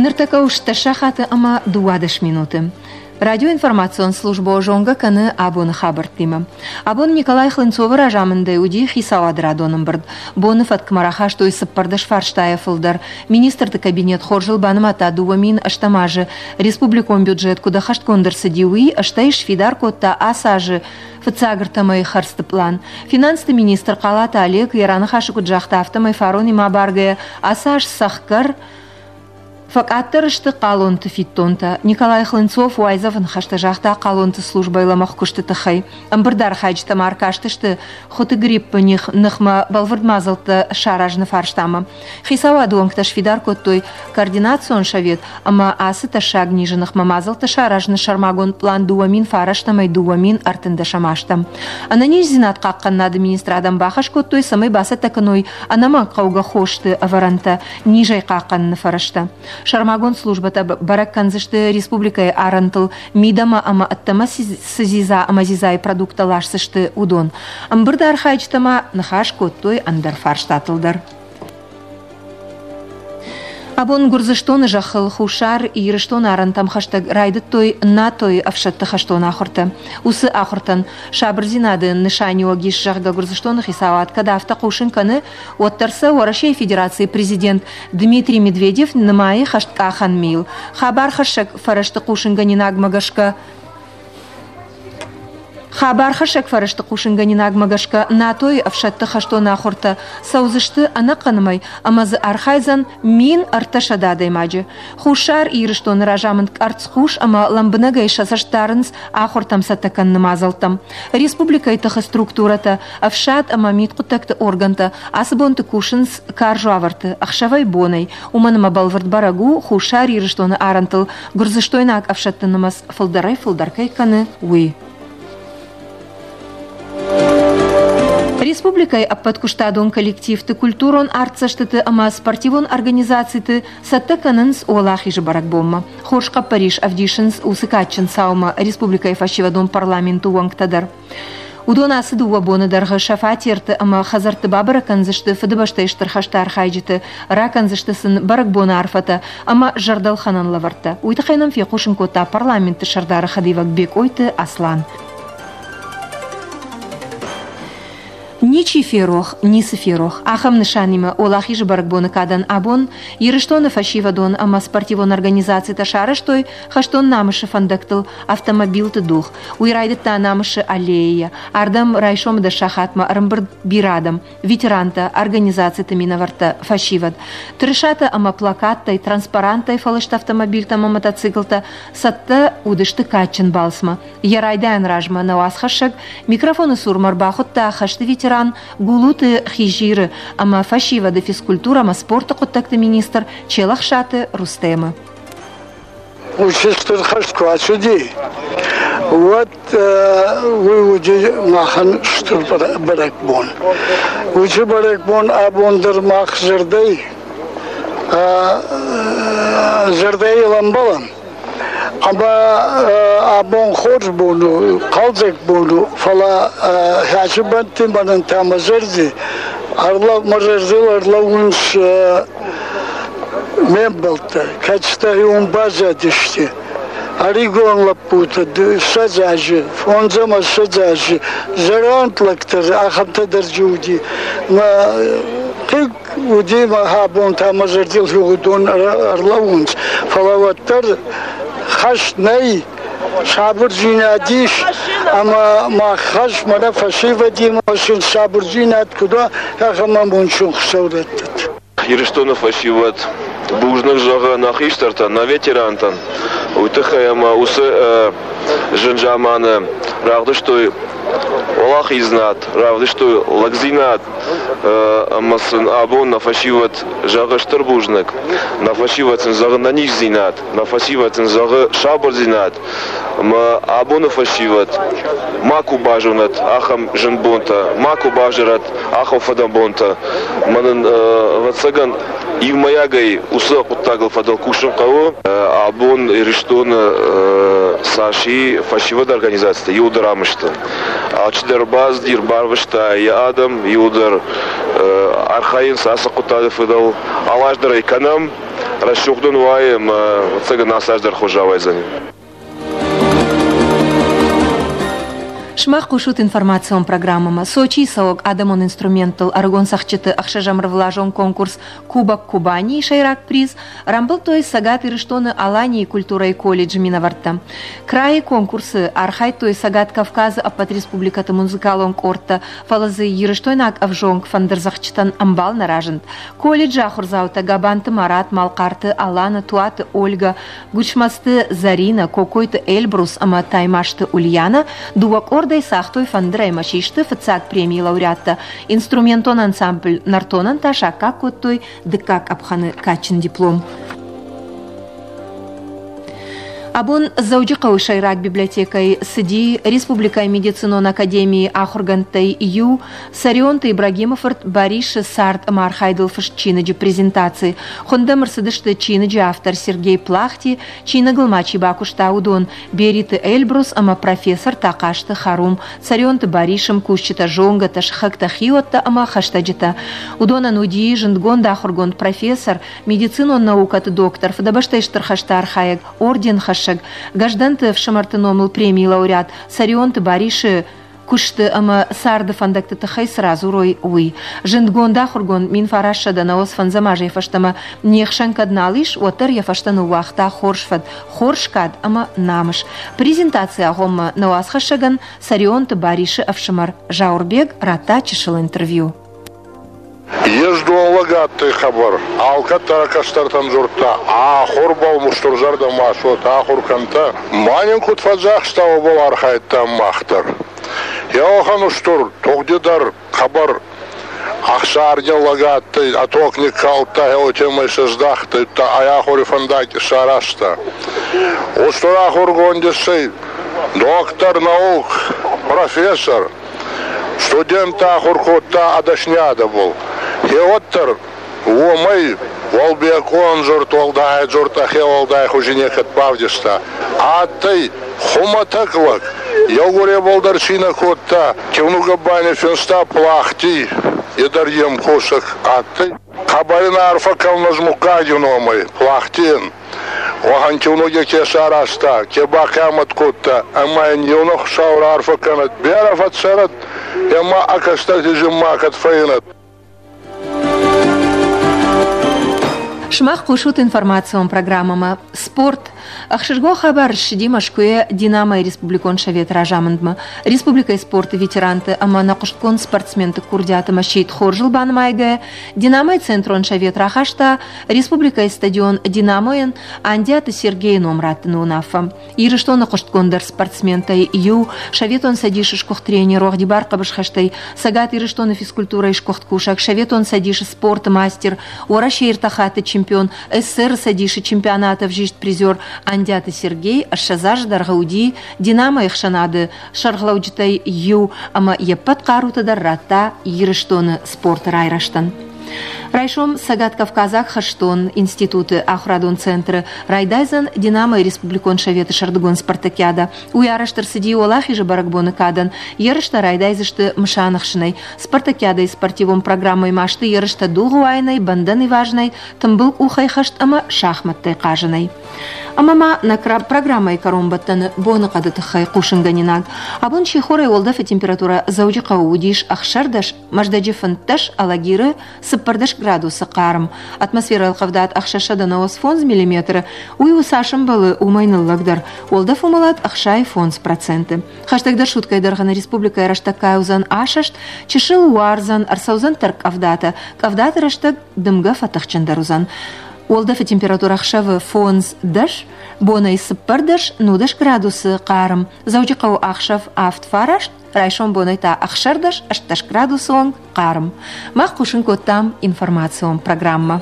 Ныртӕккӕ у стдӕс сахаты ӕмӕ 12 минуты. Радиоинформацион службӕ зонгӕ кӕны абоны хабӕрттимӕ. Абон Николай Хлынцовы разамындӕй уыди хицауады радон ӕмбырд. Боны фӕткмӕ рахастой 14 фарстайӕ фылдӕр. Министрты кабинет хорзыл банымадта 2008 азы республикон бюджет куыд ӕххӕстгонд ӕрцыди, уый, стӕй сфидар кодта ацы азы фыццаг ӕртӕмӕйы хӕрдзты пълан. Финансты министр Хъалаты Олег йӕ раныхасы куыд загъта, афтӕмӕй фаронимӕ абаргӕйӕ ацы аз цӕхгӕр фӕкъаддӕр сты хъалонты фиддонтӕ. Николай Хлынцов уайдзӕфы ныхӕстӕ загъта хъалонты службӕйы лӕмӕгъ куысты тыххӕй. Ӕмбырды архайджытӕ ма ӕркастысты хуыты гриппы ныхмӕ бӕлвырд мадзӕлттӕ саразыны фарстамӕ. Хицауады уӕнгтӕ сфидар кодтой координацион совет ӕмӕ ацы тӕссаг низы ныхмӕ мадзӕлттӕ саразыны сӕрмагонд пълан 2009-ӕй 2013 азтӕм. Ӕнӕниздзинад хъахъхъӕнынады министрадӕн бахӕс кодтой, цӕмӕй бацӕттӕ кӕной ӕнӕмӕнгхъӕугӕ хосты ӕвӕрӕнтӕ низӕй хъахъхъӕныны фӕрӕзтӕ. Сӕрмагонд службӕтӕ бӕрӕг кӕндзысты республикӕйы арӕнтыл мидӕмӕ ӕмӕ ӕддӕмӕ цы дзидза ӕмӕ дзидзайы продукттӕ ласдзысты, уыдон. Ӕмбырды архайджытӕ ма ныхас кодтой ӕндӕр фарстатыл дӕр. Абон Гуырдзыстоны зӕххыл Хуссар Ирыстоны арӕнтӕм хӕстӕг райдыдтой НАТО-йы ӕфсӕдты хӕстон ахуыртӕ. Уыцы ахуыртӕн сабырдзинады нысаниуӕг ис, зӕгъгӕ, Гуырдзыстоны хицауад кӕд афтӕ хъусын кӕны, уӕддӕр сӕ Уӕрӕсейы Федерацийы президент Дмитрий Медведев нымайы хӕсткъахӕн мийыл. Хабархӕссӕг фӕрӕзты хъусынгӕнинагмӕ гӕсгӕ Хабархӕссӕг фӕрӕзты хъусынгӕнинагмӕ гӕсгӕ НАТО-йы ӕфсӕдты хӕстон ахуыртӕ цӕудзысты ӕнӕхъӕн мӕй ӕмӕ дзы архайдзӕн 1300 адӕймаджы. Хуссар Ирыстоны разамынд къӕрцхъус ӕмӕ лӕмбынӕгӕй сӕ цӕст дарынц ахуыртӕм цӕттӕ кӕныны мадзӕлттӕм. Республикӕйы тыхы структурӕтӕ, ӕфсад ӕмӕ мидхъуыддӕгты органтӕ ацы бонты кусынц карз уавӕрты ӕхсӕвӕй-бонӕй, уымӕн ӕмӕ бӕлвырд бӕрӕг у, Хуссар Ирыстоны арӕнтыл гуырдзыстойнаг ӕфсӕдты нымӕц фылдӕрӕй-фылдӕр кӕй кӕны, уый. Республикӕйы ӕппӕт куыстадон коллективты, культурон артдзӕстыты ӕмӕ спортивон организациты цӕттӕ кӕнынц Уӕлахизы бӕрӕгбонмӕ. Хорз хъӕппӕрис ӕвдисынц уыцы кадджын цаумӕ республикӕйы фӕсивӕдон парламенты уӕнгтӕ дӕр. Уыдон ацы дыууӕ боны дӕргъы сӕ фатерты ӕмӕ хӕдзӕртты бабӕрӕг кӕндзысты Фыдыбӕстӕйы Стыр хӕсты архайджыты, ракӕндзысты сын бӕрӕгбоны арфӕтӕ ӕмӕ зӕрдӕлхӕнӕн лӕвӕрттӕ. Уый тыххӕй нӕм фехъусын кодта парламенты сӕрдары хӕдивӕг Бекъойты Аслан. Ничи ферох, ницы ферох. Ахӕм нысанимӕ Уӕлахизы бӕрӕгбоны кадӕн абон Ирыстоны фӕсивӕдон ӕмӕ спортивон организацитӕ сарӕзтой хӕстон намысы фӕндӕгтыл автомобилты дугъ. Уый райдыдта Намысы аллейӕйӕ. Ардӕм райсомы дӕс сахатмӕ ӕрӕмбырд бирӕ адӕм, ветерантӕ, организациты минӕвӕрттӕ, фӕсивӕд. Тырысатӕ ӕмӕ плакаттӕй, транспаранттӕй фӕлыст автомобильтӕ ӕмӕ мотоциклтӕ цӕттӕ уыдысты кадджын балцмӕ. Йӕ райдайӕн размӕ нӕ уацхӕссӕг микрофоны цурмӕ ӕрбахуыдта хӕсты ветеран Гулуты Хизиры ӕмӕ фӕсивӕды физкультурӕ ӕмӕ спорты хъуыддӕгты министр Челӕхсаты Рустемы. Уыцы стыр хӕст куы ацыди, уӕд уый уыди махӕн стыр бӕрӕгбон. Уыцы бӕрӕгбон абон дӕр мах зӕрдӕй зӕрдӕйыл ӕмбӕлӕм. Ӕмӕ абон хорз бон у, хъӕлдзӕг бон у, фӕлӕ хӕсы бӕнтты мӕнӕн та мӕ зӕрди мӕ зӕрдыл ӕрлӕууынц ме мбӕлттӕ, кӕцытӕ уым баззадысты. Ӕрыгон лӕппутӕ 20 азы, фондз ӕмӕ 20 азы, зӕронд лӕгтӕ ахӕмтӕ дӕр дзы уыди. Мӕ хъыг уыди мӕ абон та мӕ зӕрдыл уыдон ӕрлӕууынц, фӕлӕ уӕддӕр хӕст нӕй, сабырдзинад ис, ӕмӕ мах хӕс мӕнӕ фӕсивӕдимӕ сын сабырдзинад куыд уа, ахӕм амондджын Хуыцау раттӕд. Ирыстоны фӕсивӕд бузныг зӕгъы нӕ хистӕртӕн, нӕ ветерантӕн, уый тыххӕй ӕмӕ уыцы зын заманы равдыстой уӕлахиздзинад, равдыстой лӕгдзинад ӕмӕ сын абон нӕ фӕсивӕд зӕгъы стыр бузныг, нӕ фӕсивӕд сын зӕгъы нӕниздзинад, нӕ фӕсивӕд сын зӕгъы сабырдзинад ӕмӕ абоны фӕсивӕд макуы базонӕд ахӕм зын бонтӕ, макуы бавзарӕд ахӕм фыдӕбонтӕ. Мӕнӕн, ӕвӕццӕгӕн, иумӕйагӕй уыцы хъуыддагыл фӕдыл кусын хъӕуы. Абон Ирыстоны цас и фӕсивӕды организацитӕ, иуылдӕр ам сты. Алчидӕр бацыди, ӕрбарвыста йӕ адӕм, иуылдӕр архайынц ацы хъуыддаджы фӕдыл. Алаз дӕр ӕй кӕнӕм. Рӕсугъд ын уайы ӕмӕ ӕцӕг ацы аз дӕр хорз рауайдзӕни. Сымах хъусут информацион программӕмӕ. Сочийы цӕуӕг адӕмон инструменттыл ӕрыгон цӕгъдджыты ӕхсӕзӕм ӕрвылазон конкурс Кубок Кубани-йы сӕйраг приз рамбылдтой Цӕгат Ирыстоны Аланийы культурӕйы колледжы минӕвӕрттӕ. Крайы конкурсы архайдтой Цӕгат Кавказы ӕппӕт республикӕты музыкалон къордтӕ, фӕлӕ дзы ирыстойнаг ӕвзонг фӕндырдзӕгъдджытӕн ӕмбал нӕ разынд. Колледжы ахуырдзаутӕ Габанты Марат, Малхъарты Алана, Туаты Ольга, Гуычмӕзты Зӕринӕ, Кокойты Эльбрус ӕмӕ Таймазты Ульянӕ дыууӕ къордӕй цагътой фӕндырӕй ӕмӕ систы фыццаг премийы лауреаттӕ. Инструментон ансамбль «Нӕртонӕн» та саккаг кодтой дыккаг къӕпхӕны кадджын диплом. Абон Дзӕуджыхъӕуы сӕйраг библиотекӕйы цыди Республикӕйы медицинон академийы ахуыргӕндтӕй иу Цӕрионты Ибрагимы фырт Барисы цард ӕмӕ архайдыл фыст чиныджы презентаци. Хуынд ӕм ӕрцыдысты чиныджы автор Сергей Плахти, чиныгыл ма чи бакуыста, уыдон Бериты Эльбрус ӕмӕ профессор Тахъазты Харум, Цӕрионты Барисы мкусджытӕ, зонгӕтӕ, сыхӕгтӕ, хиуӕттӕ ӕмӕ хӕстӕджытӕ. Уыдонӕн уыди зындгонд ахуыргонд профессор, медицинон наукӕты доктор, Фыдыбӕстӕйы Стыр хӕсты архайӕг, орденхӕссӕг, Гӕздӕнты ӕфсымӕрты номыл премийы лауреат Цӕрионты Барисы куысты ӕмӕ царды фӕндӕгты тыххӕй цы радзурой, уый. Зындгонд ахуыргонд 1995 азӕй фӕстӕмӕ не хсӕн кӕд нал ис, уӕддӕр йӕ фӕстӕ ныууагъта хорз фӕд, хорз кад ӕмӕ намыс. Презентацийы агъоммӕ нӕ уацхӕссӕгӕн Цӕрионты Барисы ӕфсымӕр Зауырбег радта чысыл интервью. Ездон лӕг адтӕй хъӕбӕр, алкӕддӕр ӕ кӕстӕртӕн дзурдта: «Ахурбӕл устурзӕрдӕ ма суотӕ, ахур кӕнтӕ. Ма нин куд фӕдзӕхста, уобӕл архайдтан мах дӕр. Еуӕхӕн устур тугъди дӕр хъӕбӕр ӕхсаргин лӕг адтӕй, ӕ тог никкалдта, уотемӕй сӕздахтӕй, ӕ ахури фӕндаг исаразта. Устур ахургонд иссӕй, доктор наук, профессор, Студенттӕ ахур кодта ӕдӕсниадӕбӕл. Хеуӕддӕр уомӕй уӕлбекъон дзурд уӕлдай дзурд ӕхе уӕлдай хузи некӕд бавдиста. Адтӕй хумӕтӕг лӕг, еугуребӕл дӕр цийнӕ кодта, киунугӕбӕл финста Плахти, е дӕр е мкосӕг адтӕй. Хъӕбӕр ин арфӕ кӕнун ӕз муггаги номӕй, Плахтийӕн. Уӕхӕн киунуги ке саразта, ке бахъиамӕт кодта, ӕма ин еунӕг Хуцау раарфӕ кӕнӕд, берӕ фӕццӕрӕд, ӕма ӕ кӕстӕрти зинмӕ кӕд фӕййинӕд. Сымах хъусут информацион программӕмӕ «Спорт». Ӕхсызгон хабар ссыди Мӕскуыйӕ «Динамо-йы» республикон советы разамындмӕ. Республикӕйы спорты ветеранты ӕмӕ нӕхъуыстгонд спортсменты курдиаты мӕсчъит хорзыл банымайгӕйӕ, «Динамо-йы» центрон совет рахаста республикӕйы стадион «Динамо-йӕн» Андиаты Сергейы ном раттыны уынаффӕ. Ирыстоны хъуыстгонддӕр спортсментӕй иу, Советон Цӕдисы сгуыхт тренер уӕгъдибар хъӕбысхӕстӕй Цӕгат Ирыстоны физкультурӕйы сгуыхт кусӕг, Советон Цӕдисы спорты мастер, Уӕрӕсейы ӕртӕ хатты чемпион, СССР-ы Цӕдисы чемпионаты ӕвзист призер Андиаты Сергей 20 азы дӕргъы уыди «Динамо-йы» ӕхсӕнады сӕргълӕуджытӕй иу ӕмӕ йе ппӕт хъарутӕ дӕр радта Ирыстоны спорты райрӕзтӕн. Райсом Цӕгат-Кавказаг хӕстон институты ахуырадон центры райдайдзӕн «Динамо-йы» республикон советы сӕрдыгон спартакиадӕ. Уый арӕзт ӕрцыди Уӕлахизы бӕрӕгбоны кадӕн. Ерыстӕ райдайдзысты мысаныхсынӕй. Спартакиадӕйы спортивон программӕйы ма сты ерыстӕ дугъы уайынӕй, бӕндӕн ивазынӕй, тымбыл къухӕй хӕст ӕмӕ шахмӕттӕй хъазынӕй. Ӕмӕ ма нӕ программӕйы кӕронбӕттӕны боныхъӕды тыххӕй хъусынгӕнинаг. Абон сихорӕй уӕлдӕфы температурӕ Дзӕуджыхъӕуы уыдис 16, Мӕздӕджы 15, Алагиры 14 градусы хъарм. Атмосферӕйы ӕлхъывдад 695 миллиметры, уый у цас ӕмбӕлы, уымӕй ныллӕгдӕр. Уӕлдӕф уымӕлад 65%. Хӕстӕгдӕр суткӕйы дӕргъы нӕ республикӕйы рӕстӕг кӕй уыдзӕн асӕст, чысыл уардзӕн, ӕрцӕудзӕн тӕрккъӕвдатӕ. Къӕвдаты рӕстӕг дымгӕ фӕтыхджындӕр уыдзӕн. Уӕлдӕфы температурӕ ӕхсӕвы 5-10, бонӕй 14-19 градусы хъарм. Дзӕуджыхъӕуы ӕхсӕв 7-9, райсом бонӕй та 16-18 градусы онг хъарм. Мах хъусын кодтам информацион программӕ.